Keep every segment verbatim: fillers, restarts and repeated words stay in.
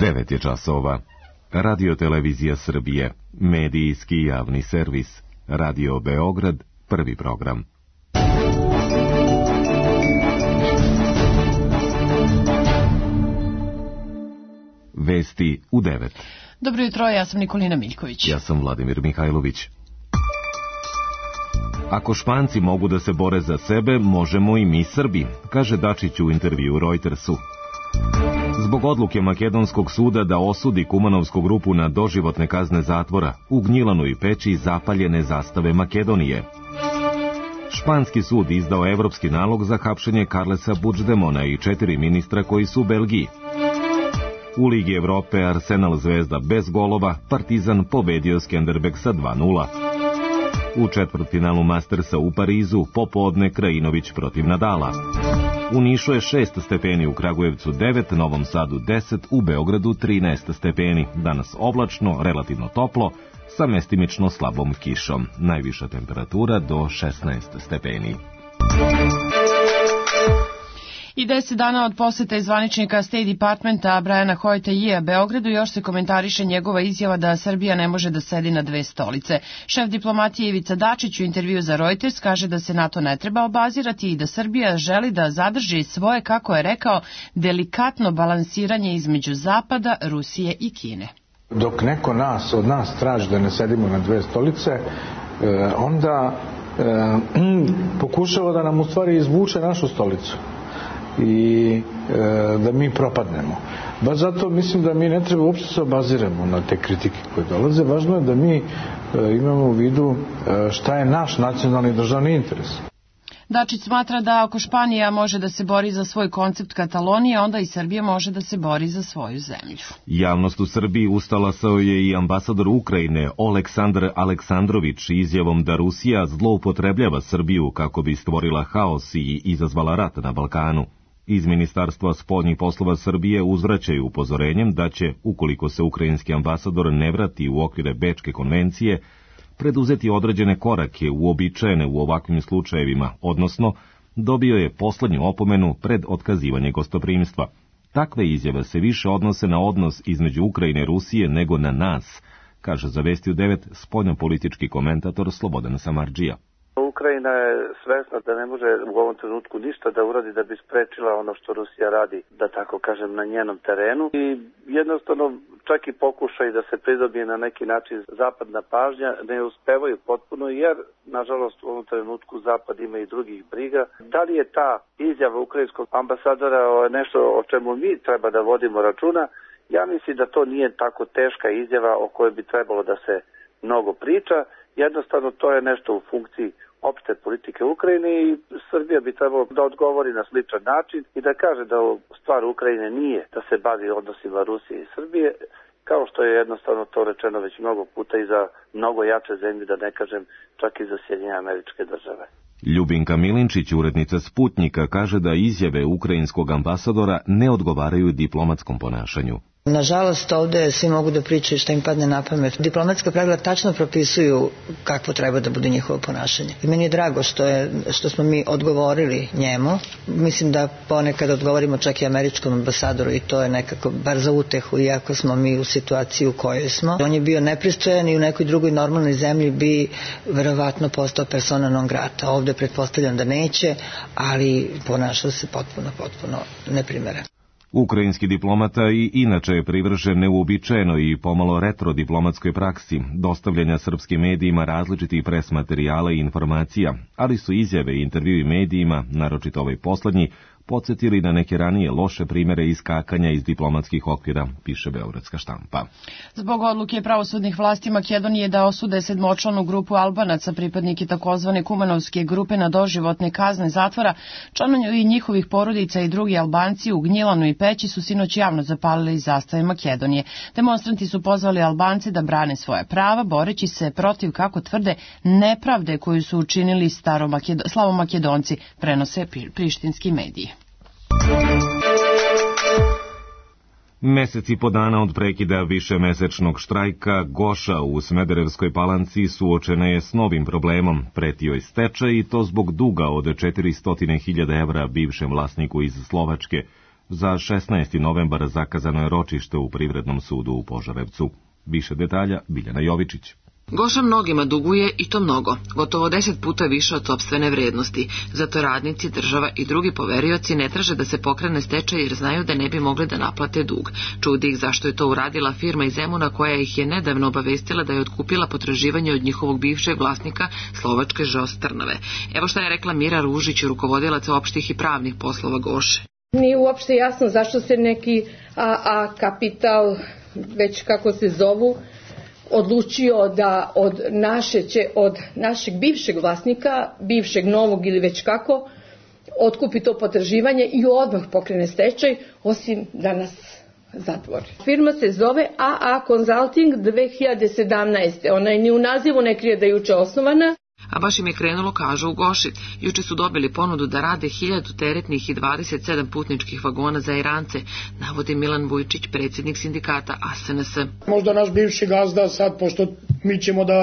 devet je časova. Radio Televizija Srbije, medijski javni servis. Radio Beograd, prvi program. Vesti u devet. Dobro jutro, ja sam Nikolina Miljković. Ja sam Vladimir Mihajlović. Ako Španci mogu da se bore za sebe, možemo i mi Srbi, kaže Dačić u intervju Reutersu. Zbog odluke Makedonskog suda da osudi Kumanovsku grupu na doživotne kazne zatvora, u Gnjilanu i Peći zapaljene zastave Makedonije. Španski sud izdao evropski nalog za hapšenje Carlesa Puigdemona i četiri ministra koji su u Belgiji. U Ligi Evrope Arsenal Zvezda bez golova, Partizan pobedio Skenderbeg sa dva nula. U četvrtfinalu Mastersa u Parizu popodne Krajinović protiv Nadala. U Nišu je šest stepeni, u Kragujevcu devet, Novom Sadu deset, u Beogradu trinaest stepeni. Danas oblačno, relativno toplo, sa mestimično slabom kišom. Najviša temperatura do šesnaest stepeni. I deset dana od posete zvaničnika State Departmenta Briana Hoyta-Yea Beogradu još se komentariše njegova izjava da Srbija ne može da sedi na dve stolice. Šef diplomatije Ivica Dačić u intervju za Reuters kaže da se na to ne treba obazirati i da Srbija želi da zadrži svoje, kako je rekao, delikatno balansiranje između Zapada, Rusije i Kine. Dok neko nas, od nas traži da ne sedimo na dve stolice, onda pokušava da nam u stvari izvuče našu stolicu i e, da mi propadnemo. Baš zato mislim da mi ne treba uopšte se obaziramo na te kritike koje dolaze. Važno je da mi e, imamo u vidu e, šta je naš nacionalni državni interes. Dačić smatra da ako Španija može da se bori za svoj koncept Katalonije, onda i Srbija može da se bori za svoju zemlju. Javnost u Srbiji ustalasao je i ambasador Ukrajine Oleksandar Aleksandrović izjavom da Rusija zloupotrebljava Srbiju kako bi stvorila haos i izazvala rat na Balkanu. Iz Ministarstva spoljnih poslova Srbije uzvraćaju upozorenjem da će, ukoliko se ukrajinski ambasador ne vrati u okvire Bečke konvencije, preduzeti određene korake uobičajene u ovakvim slučajevima, odnosno dobio je poslednju opomenu pred otkazivanje gostoprimstva. Takve izjave se više odnose na odnos između Ukrajine i Rusije nego na nas, kaže za Vesti u devet spoljnopolitički komentator Slobodan Samardžija. Ukrajina je svesna da ne može u ovom trenutku ništa da uradi da bi sprečila ono što Rusija radi, da tako kažem, na njenom terenu. I jednostavno čak i pokušaj da se pridobije na neki način zapadna pažnja ne uspevaju potpuno, jer nažalost u ovom trenutku Zapad ima i drugih briga. Da li je ta izjava ukrajinskog ambasadora nešto o čemu mi treba da vodimo računa? Ja mislim da to nije tako teška izjava o kojoj bi trebalo da se mnogo priča. Jednostavno to je nešto u funkciji opšte politike Ukrajine i Srbija bi trebalo da odgovori na sličan način i da kaže da stvar Ukrajine nije da se bavi odnosima Rusije i Srbije, kao što je jednostavno to rečeno već mnogo puta i za mnogo jače zemlje, da ne kažem čak i za Sjedinjene Američke Države. Ljubinka Milinčić, urednica Sputnika, kaže da izjave ukrajinskog ambasadora ne odgovaraju diplomatskom ponašanju. Nažalost, ovde svi mogu da pričaju šta im padne na pamet. Diplomatska pravila tačno propisuju kakvo treba da bude njihovo ponašanje. I meni je drago što, je, što smo mi odgovorili njemu. Mislim da ponekad odgovorimo čak i američkom ambasadoru i to je nekako bar za utehu, iako smo mi u situaciji u kojoj smo. On je bio nepristojan i u nekoj drugoj normalnoj zemlji bi verovatno postao persona non grata. Ovde pretpostavljam da neće, ali ponašao se potpuno, potpuno neprimereno. Ukrajinski diplomata i inače je privržen neuobičajenoj i pomalo retro diplomatskoj praksi, dostavljanja srpskim medijima različitih pres materijala i informacija, ali su izjave i intervjui medijima, naročito ovaj poslednji, podsjetili na neke ranije loše primere iskakanja iz diplomatskih okvira, piše Beogradska štampa. Zbog odluke pravosudnih vlasti Makedonije da osude sedmočlanu grupu Albanaca, pripadnike takozvane Kumanovske grupe na doživotne kazne zatvora, članovi njihovih porodica i drugi Albanci u Gnjilanu i Peći su sinoć javno zapalili zastave Makedonije. Demonstranti su pozvali Albance da brane svoja prava, boreći se protiv, kako tvrde, nepravde koju su učinili slavomakedonci, prenose prištinski mediji. Mesec i po dana od prekida višemesečnog štrajka, Goša u Smederevskoj Palanci suočena je s novim problemom. Pretio je stečaj i to zbog duga od četiristo hiljada evra bivšem vlasniku iz Slovačke. Za šesnaesti novembar zakazano je ročište u Privrednom sudu u Požarevcu. Više detalja Biljana Jovičić. Goša mnogima duguje i to mnogo, gotovo deset puta više od sopstvene vrednosti. Zato radnici, država i drugi poverioci ne traže da se pokrene stečaj jer znaju da ne bi mogli da naplate dug. Čudi ih zašto je to uradila firma iz Zemuna koja ih je nedavno obavestila da je otkupila potraživanje od njihovog bivšeg vlasnika Slovačke ž o s Trnave. Evo šta je rekla Mira Ružić, rukovodilac opštih i pravnih poslova Goše. Nije uopšte jasno zašto se neki A A Kapital, već kako se zovu, odlučio da od naše će, od našeg bivšeg vlasnika, bivšeg novog ili već kako, otkupi to potraživanje i odmah pokrene stečaj, osim da nas zatvori. Firma se zove A A Consulting dve hiljade sedamnaeste. Ona je ni u nazivu ne krije da je juče osnovana. A baš im je krenulo, kažu u Goši. Juče su dobili ponudu da rade hiljadu teretnih i dvadeset sedam putničkih vagona za Irance, navodi Milan Vujčić, predsjednik sindikata A S N S. Možda naš bivši gazda sad, pošto mi ćemo da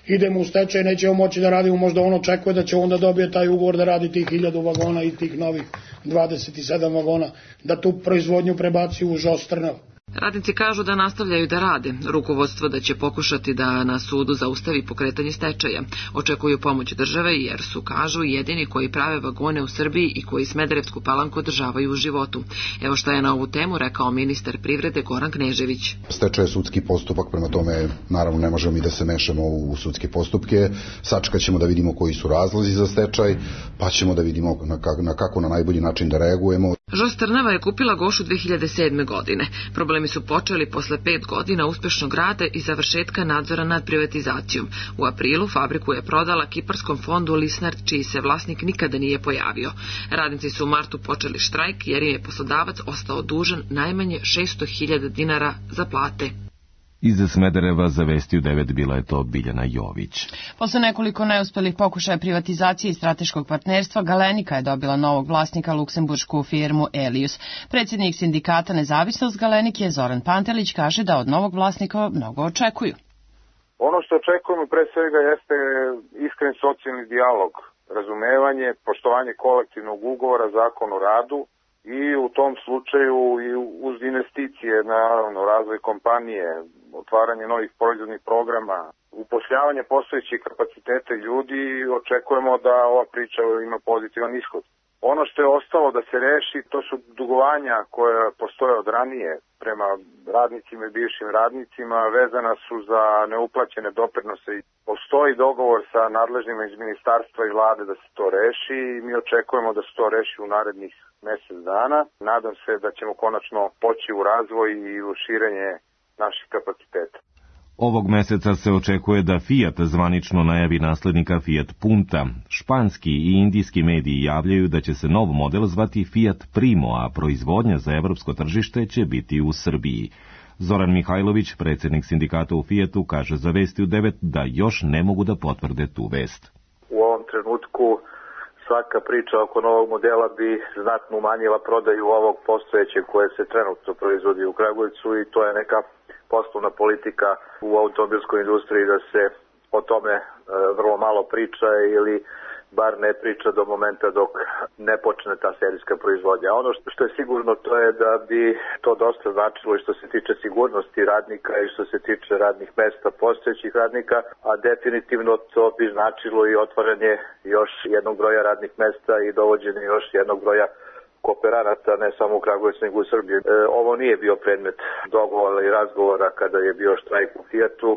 idemo u stečaj, nećemo moći da radimo, možda on očekuje da će onda dobije taj ugovor da radi tih hiljadu vagona i tih novih dvadeset sedam vagona, da tu proizvodnju prebaci u ž o s Trnava. Radnici kažu da nastavljaju da rade, rukovodstvo da će pokušati da na sudu zaustavi pokretanje stečaja. Očekuju pomoć države jer su, kažu, jedini koji prave vagone u Srbiji i koji Smederevsku Palanku održavaju u životu. Evo šta je na ovu temu rekao ministar privrede Goran Knežević. Stečaj je sudski postupak, prema tome naravno ne možemo mi da se mešamo u sudske postupke. Sačekat ćemo da vidimo koji su razlozi za stečaj, pa ćemo da vidimo na kako na, kako na najbolji način da reagujemo. ž o s Trnava je kupila Gošu dve hiljade sedme. godine. Problemi su počeli posle pet godina uspešnog rada i završetka nadzora nad privatizacijom. U aprilu fabriku je prodala kiparskom fondu Lisnard, čiji se vlasnik nikada nije pojavio. Radnici su u martu počeli štrajk jer je poslodavac ostao dužan najmanje šesto hiljada dinara za plate. Iz Smedereva za Vesti u devet bila je to Biljana Jović. Posle nekoliko neuspelih pokušaja privatizacije i strateškog partnerstva, Galenika je dobila novog vlasnika, luksemburšku firmu Elius. Predsjednik sindikata Nezavisnost Galenike Zoran Pantelić kaže da od novog vlasnika mnogo očekuju. Ono što očekujemo pre svega jeste iskren socijalni dijalog, razumevanje, poštovanje kolektivnog ugovora, zakon o radu, i u tom slučaju i uz investicije, naravno, razvoj kompanije, otvaranje novih proizvodnih programa, upošljavanje postojećih kapaciteta ljudi, očekujemo da ova priča ima pozitivan ishod. Ono što je ostalo da se reši, to su dugovanja koje postoje od ranije prema radnicima i bivšim radnicima, vezana su za neuplaćene doprinose. Postoji dogovor sa nadležnima iz ministarstva i vlade da se to reši i mi očekujemo da se to reši u narednih mesec dana. Nadam se da ćemo konačno poći u razvoj i u širenje naših kapaciteta. Ovog meseca se očekuje da Fiat zvanično najavi naslednika Fiat Punta. Španski i indijski mediji javljaju da će se nov model zvati Fiat Primo, a proizvodnja za evropsko tržište će biti u Srbiji. Zoran Mihajlović, predsjednik sindikata u Fiatu, kaže za Vesti u devet da još ne mogu da potvrde tu vest. U ovom trenutku svaka priča oko novog modela bi znatno umanjila prodaju ovog postojećeg koje se trenutno proizvodi u Kragujevcu i to je neka poslovna politika u automobilskoj industriji da se o tome e, vrlo malo priča ili bar ne priča do momenta dok ne počne ta serijska proizvodnja. Ono što je sigurno to je da bi to dosta značilo i što se tiče sigurnosti radnika i što se tiče radnih mesta postojećih radnika, a definitivno to bi značilo i otvaranje još jednog broja radnih mesta i dovođenje još jednog broja kooperanata, ne samo u Kragujevcu, nego u Srbiji. E, ovo nije bio predmet dogovora i razgovora kada je bio štrajk u Fiatu.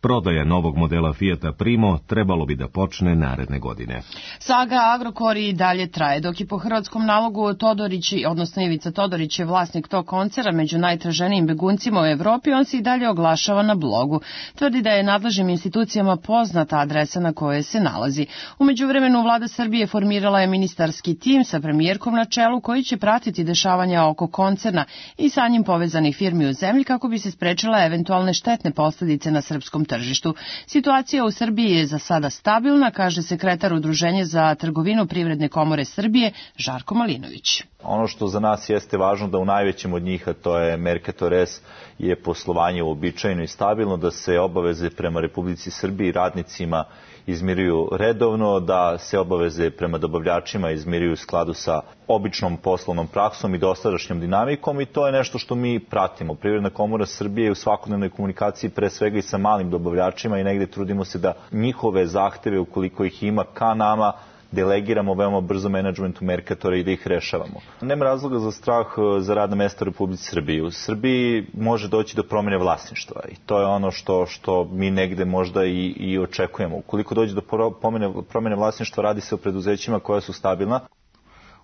Prodaja novog modela Fiata Primo trebalo bi da počne naredne godine. Saga Agrokor i dalje traje, dok je po hrvatskom nalogu Todorić, odnosno Ivica Todorić je vlasnik tog koncera među najtraženijim beguncima u Evropi, on se i dalje oglašava na blogu. Tvrdi da je nadležnim institucijama poznata adresa na kojoj se nalazi. U međuvremenu vlada Srbije formirala je ministarski tim sa premijerkom na čelu koji će pratiti dešavanja oko koncerna i sa njim povezanih firmi u zemlji kako bi se sprečila eventualne štetne posljedice na srpskom tržištu. Tržištu. Situacija u Srbiji je za sada stabilna, kaže sekretar Udruženja za trgovinu Privredne komore Srbije Žarko Malinović. Ono što za nas jeste važno da u najvećem od njih, a to je Mercator S, je poslovanje uobičajeno i stabilno, da se obaveze prema Republici Srbiji, radnicima izmiruju redovno, da se obaveze prema dobavljačima izmiruju u skladu sa običnom poslovnom praksom i dosadašnjom dinamikom i to je nešto što mi pratimo. Privredna komora Srbije je u svakodnevnoj komunikaciji pre svega i sa malim dobavljačima i negde trudimo se da njihove zahteve, ukoliko ih ima, ka nama delegiramo veoma brzo menadžmentu Merkatora i da ih rešavamo. Nema razloga za strah za radna mesta u Republici Srbiji. U Srbiji može doći do promjene vlasništva i to je ono što, što mi negde možda i, i očekujemo. Ukoliko dođe do promjene, promjene vlasništva, radi se o preduzećima koja su stabilna.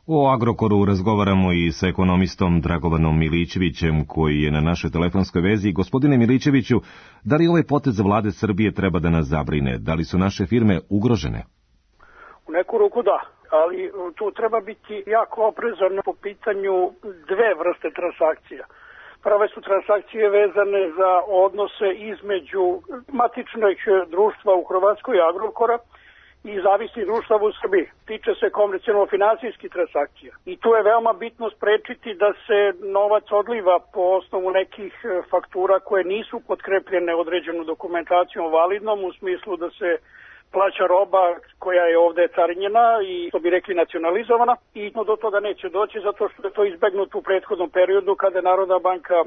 O Agrokoru razgovaramo i sa ekonomistom Dragovanom Milićevićem koji je na našoj telefonskoj vezi. Gospodine Milićeviću, da li ovaj potez vlade Srbije treba da nas zabrine? Da li su naše firme ugrožene? U neku ruku da, ali tu treba biti jako oprezan po pitanju dve vrste transakcija. Prve su transakcije vezane za odnose između matičnih društva u Hrvatskoj Agrokora i zavisnih društava u Srbiji. Tiče se komercijalno-finansijskih transakcija. I tu je veoma bitno sprečiti da se novac odliva po osnovu nekih faktura koje nisu potkrepljene određenom dokumentacijom validnom u smislu da se plaća roba koja je ovde carinjena i, što bi rekli, nacionalizovana i no, do toga neće doći zato što je to izbegnuto u prethodnom periodu kada je Narodna banka e,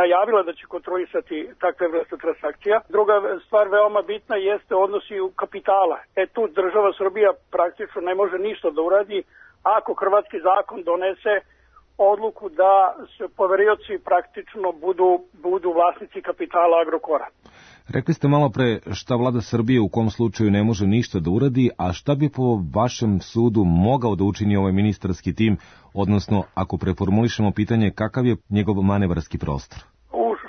najavila da će kontrolisati takve vrste transakcija. Druga stvar veoma bitna jeste odnosi kapitala. E tu država Srbija praktično ne može ništa da uradi ako hrvatski zakon donese odluku da se poverioci praktično budu, budu vlasnici kapitala Agrokora. Rekli ste malo pre šta vlada Srbije u kom slučaju ne može ništa da uradi, a šta bi po vašem sudu mogao da učini ovaj ministarski tim, odnosno ako preformulišemo pitanje kakav je njegov manevarski prostor?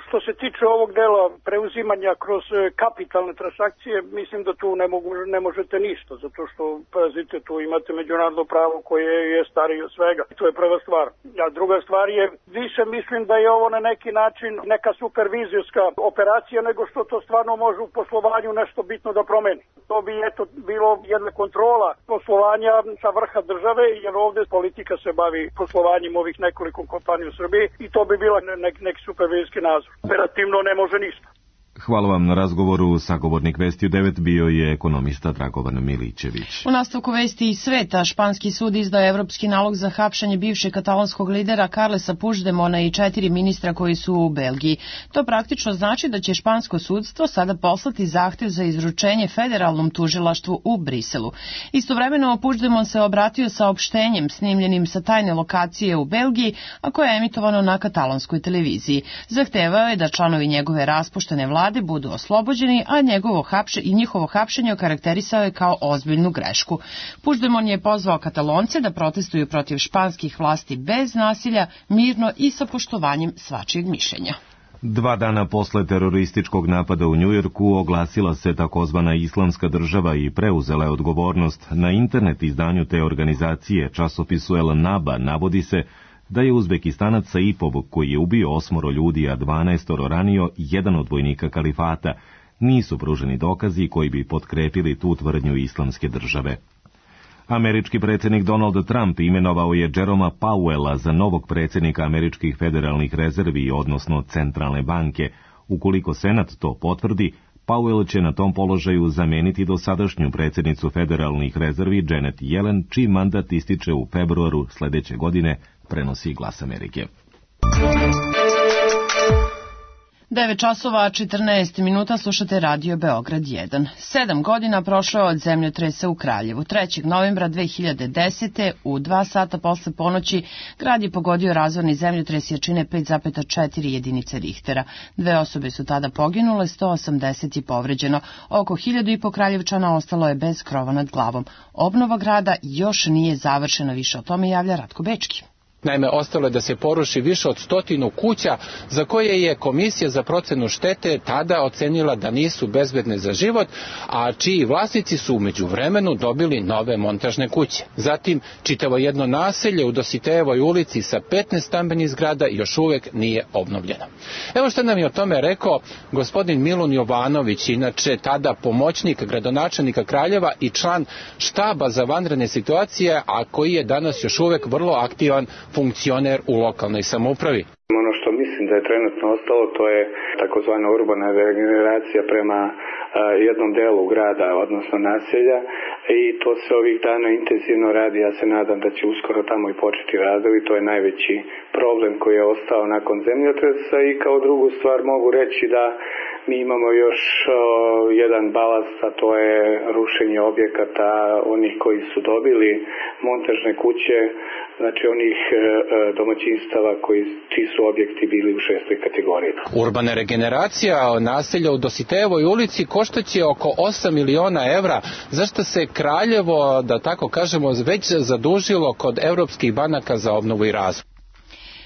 Što se tiče ovog dela preuzimanja kroz kapitalne transakcije, mislim da tu ne, mogu, ne možete ništa, zato što, pazite, tu imate međunarodno pravo koje je starije od svega. To je prva stvar. A druga stvar je, više mislim da je ovo na neki način neka supervizijska operacija, nego što to stvarno može u poslovanju nešto bitno da promeni. To bi eto bilo jedna kontrola poslovanja sa vrha države, jer ovde politika se bavi poslovanjem ovih nekoliko kompanija u Srbiji i to bi bila nek, neki supervizijski nadzor. Operativno ne može ništa. Hvala vam na razgovoru. Sagovornik Vesti u devet bio je ekonomista Dragovan Milićević. U nastavku Vesti iz sveta, španski sud izdao evropski nalog za hapšenje bivšeg katalonskog lidera Carlesa Puigdemona i četiri ministra koji su u Belgiji. To praktično znači da će špansko sudstvo sada poslati zahtev za izručenje federalnom tužilaštvu u Briselu. Istovremeno Puigdemon se obratio saopštenjem snimljenim sa tajne lokacije u Belgiji, a koje je emitovano na katalonskoj televiziji. Zahtevao je da članovi njegove raspuštene vlade budu oslobođeni, a njegovo hapše i njihovo hapšenje okarakterisao je kao ozbiljnu grešku. Puigdemon je pozvao Katalonce da protestuju protiv španskih vlasti bez nasilja, mirno i sa poštovanjem svačijeg mišljenja. Dva dana posle terorističkog napada u Njujorku oglasila se takozvana Islamska država i preuzela je odgovornost. Na internet izdanju te organizacije, časopisu El Naba, navodi se da je Uzbekistanac Saipov, koji je ubio osmoro ljudi, a dvanaestoro ranio, jedan od vojnika kalifata. Nisu pruženi dokazi koji bi potkrepili tu tvrdnju Islamske države. Američki predsjednik Donald Trump imenovao je Jeroma Powella za novog predsjednika američkih federalnih rezervi, odnosno centralne banke. Ukoliko Senat to potvrdi, Powell će na tom položaju zameniti dosadašnju predsjednicu federalnih rezervi Janet Yellen, čiji mandat ističe u februaru sledeće godine, prenosi Glas Amerike. devet časova četrnaest minuta, slušate Radio Beograd jedan. Sedam godina prošlo je od zemljotresa u Kraljevu. trećeg novembra dve hiljade desete. u dva sata posle ponoći grad je pogodio razorni zemljotres jačine pet zarez četiri jedinice Richtera. Dve osobe su tada poginule, sto osamdeset je povređeno. Oko hiljadu i po Kraljevčana ostalo je bez krova nad glavom. Obnova grada još nije završena, više o tome javlja Ratko Bečki. Naime, ostalo je da se poruši više od stotinu kuća za koje je Komisija za procenu štete tada ocenila da nisu bezbedne za život, a čiji vlasnici su u međuvremenu dobili nove montažne kuće. Zatim, čitavo jedno naselje u Dositejevoj ulici sa petnaest stambenih zgrada još uvek nije obnovljeno. Evo što nam je o tome rekao gospodin Milun Jovanović, inače tada pomoćnik gradonačelnika Kraljeva i član štaba za vanredne situacije, a koji je danas još uvek vrlo aktivan funkcioner u lokalnoj samoupravi. Ono što mi mislim da je trenutno ostalo, to je takozvana urbana regeneracija prema jednom delu grada, odnosno naselja, i to se ovih dana intenzivno radi. Ja se nadam da će uskoro tamo i početi radovi. To je najveći problem koji je ostao nakon zemljotresa. I kao drugu stvar mogu reći da mi imamo još o, jedan balast, a to je rušenje objekata onih koji su dobili montažne kuće, znači onih e, domaćinstava koji, čiji su objekti bili u šestoj kategoriji. Urbana regeneracija naselja u Dositejevoj ulici koštaće oko osam miliona evra, zašto se Kraljevo, da tako kažemo, već zadužilo kod evropskih banaka za obnovu i razvoj.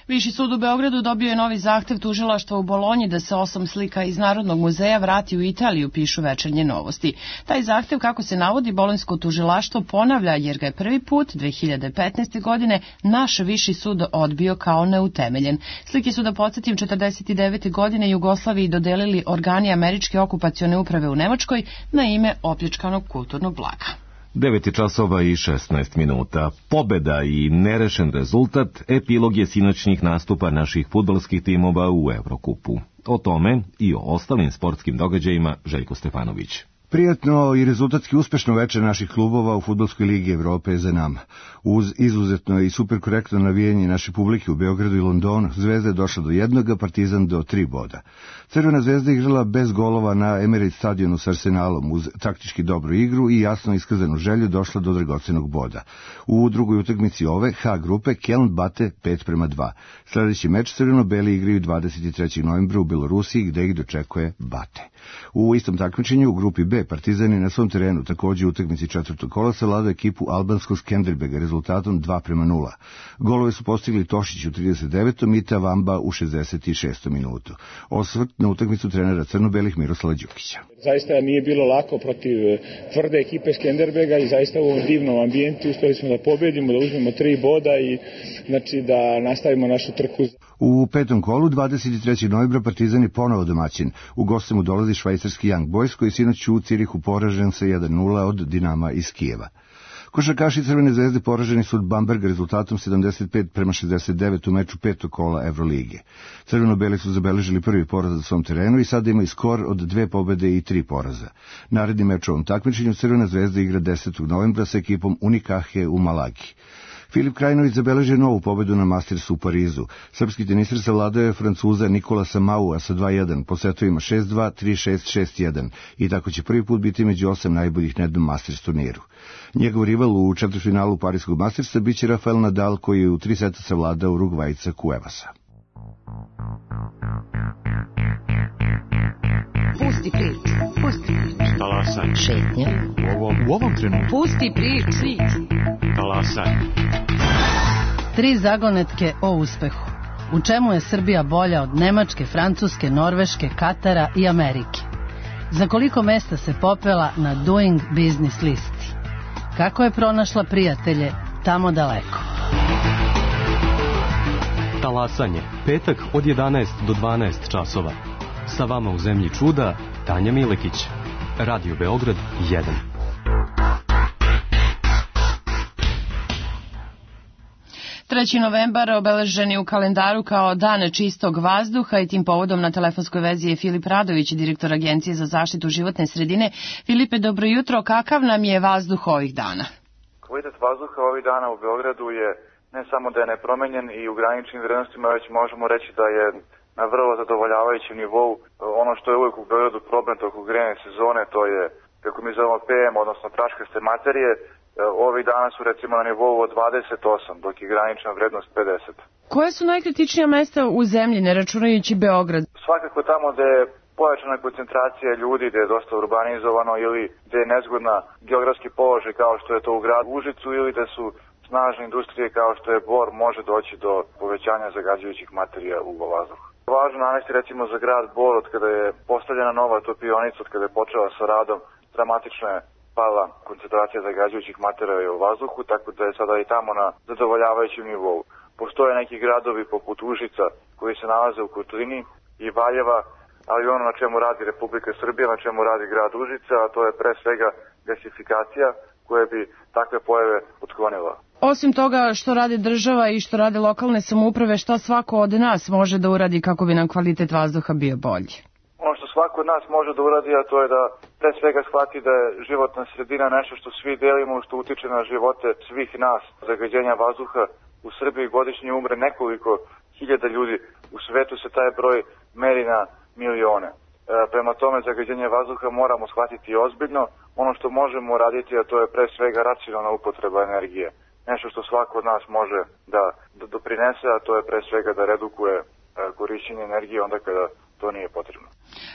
Viši sud u Beogradu dobio je novi zahtev tužilaštva u Bolonji da se osam slika iz Narodnog muzeja vrati u Italiju, pišu Večernje novosti. Taj zahtev, kako se navodi, bolonjsko tužilaštvo ponavlja jer ga je prvi put dve hiljade petnaeste. godine naš viši sud odbio kao neutemeljen. Slike su, da podsjetim, četrdeset devete. godine Jugoslaviji dodelili organi američke okupacione uprave u Nemačkoj na ime opljačkanog kulturnog blaga. devet časova i šesnaest minuta. Pobeda i nerešen rezultat epilog je sinoćnih nastupa naših fudbalskih timova u Evrokupu. O tome i o ostalim sportskim događajima Željko Stefanović. Prijatno i rezultatski uspešno večer naših klubova u Fudbalskoj ligi Evrope je za nama. Uz izuzetno i super korektno navijanje naše publike u Beogradu i Londonu, Zvezda je došla do jednoga, Partizan do tri boda. Crvena Zvezda igrala bez golova na Emirates stadionu s Arsenalom, uz taktički dobru igru i jasno iskazanu želju došla do dragocenog boda. U drugoj utakmici ove H grupe Keln bate pet prema dva. Sljedeći meč crveno-beli igraju dvadeset trećeg novembra u Belorusiji, gde ih dočekuje Bate. U istom takmičenju u grupi B Partizan je na svom terenu takođe u utakmici četvrtog kola savladao ekipu albanskog Skenderbega rezultatom dva prema nula. Golove su postigli Tošić u trideset devetom i Tavamba u šezdeset šestom minutu. Osvrt na utakmicu trenera crno-belih Miroslava Đukića. Zaista nije bilo lako protiv tvrde ekipe Skenderbega i zaista u ovom divnom ambijentu uspeli smo da pobedimo, da uzmemo tri boda i znači da nastavimo našu trku. U petom kolu dvadeset trećeg novembra Partizan je ponovo domaćin. U goste mu dolazi švajcarski Young Boys koji sinoć u Cirihu poražen sa jedan nula od Dinama iz Kijeva. Košarkaši Crvene zvezde poraženi su od Bamberga rezultatom sedamdeset pet prema šezdeset devet u meču petog kola Evrolige. Crveno-beli su zabeležili prvi poraz na svom terenu i sada imaju skor od dve pobede i tri poraza. Naredni meč u ovom takmičenju Crvena zvezda igra desetog novembra sa ekipom Unikahe u Malagi. Filip Krajinović zabeležio novu pobedu na Mastersu u Parizu. Srpski teniser savladao je Francuza Nikolasa Maua sa dva jedan, po setovima šest dva, tri šest, šest jedan i tako će prvi put biti među osam najboljih na jednom Masters turniru. Njegov rival u četvrtfinalu Parijskog Mastersa biće Rafael Nadal koji je u tri seta savladao Urugvajca Cuevasa. Pusti priču, pusti priču. Talasaj. Šetnja. U ovom, u ovom trenutku. Pusti priču. Talasaj. Tri zagonetke o uspehu. U čemu je Srbija bolja od Nemačke, Francuske, Norveške, Katara i Amerike? Za koliko mesta se popela na Doing Business listi? Kako je pronašla prijatelje tamo daleko? Talasanje. Petak od jedanaest do dvanaest časova. Sa vama u zemlji čuda, Tanja Milekić. Radio Beograd jedan. treći novembar obeležen je u kalendaru kao Dan čistog vazduha i tim povodom na telefonskoj vezi je Filip Radović, direktor Agencije za zaštitu životne sredine. Filipe, dobro jutro. Kakav nam je vazduh ovih dana? Kvalitet vazduha ovih dana u Beogradu je ne samo da je nepromenjen i u graničnim vrednostima, već možemo reći da je na vrlo zadovoljavajućem nivou. Ono što je uvijek u Beogradu problem tokom grejne sezone, to je, kako mi zovemo P M, odnosno praškaste materije. Ovih dana su recimo na nivou od dvadeset osam, dok je granična vrednost pedeset. Koje su najkritičnija mesta u zemlji, ne računajući Beograd? Svakako tamo gde je pojačana koncentracija ljudi, gde je dosta urbanizovano ili gde je nezgodna geografski položaj kao što je to u gradu Užicu ili da su snažne industrije kao što je Bor, može doći do povećanja zagađujućih materija u vazduhu. Važno navesti recimo za grad Bor, od kada je postavljena nova topionica, od kada je počela sa radom, dramatično je pala koncentracija zagađujućih materija u vazduhu, tako da je sada i tamo na zadovoljavajućem nivou. Postoje neki gradovi poput Užica koji se nalaze u kotlini i Valjeva, ali ono na čemu radi Republika Srbija, na čemu radi grad Užica, a to je pre svega gasifikacija koja bi takve pojave otklonila. Osim toga što radi država i što rade lokalne samouprave, šta svako od nas može da uradi kako bi nam kvalitet vazduha bio bolji? Ono što svako od nas može da uradi, a to je da pre svega shvati da je životna sredina nešto što svi delimo, što utiče na živote svih nas. Zagađenja vazduha u Srbiji godišnje umre nekoliko hiljada ljudi. U svetu se taj broj meri na milione. E, prema tome, zagađenje vazduha moramo shvatiti ozbiljno. Ono što možemo uraditi, a to je pre svega racionalna upotreba energije. Nešto što svako od nas može da, da doprinese, a to je pre svega da redukuje e, korišćenje energije onda kada to nije potrebno.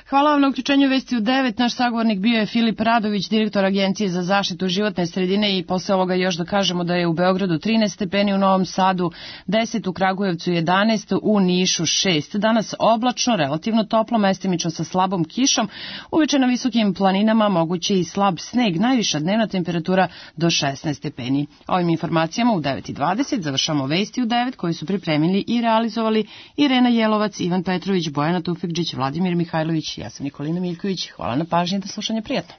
Hvala vam na uključenju Vesti u devet. Naš sagovornik bio je Filip Radović, direktor Agencije za zaštitu životne sredine, i posle ovoga još da kažemo da je u Beogradu trinaest stepeni, u Novom Sadu deset, u Kragujevcu jedanaest, u Nišu šest. Danas oblačno, relativno toplo, mestimično sa slabom kišom, uveče na visokim planinama moguće i slab sneg, najviša dnevna temperatura do šesnaest stepeni. Ovim informacijama u devet i dvadeset završamo Vesti u devet koji su pripremili i realizovali Irena Jelovac, Ivan Petrović, Bojana Tufekđić, Vladimir Mihajlović, ja sam Nikolina Miljković. Hvala na pažnji, do slušanja, prijatno.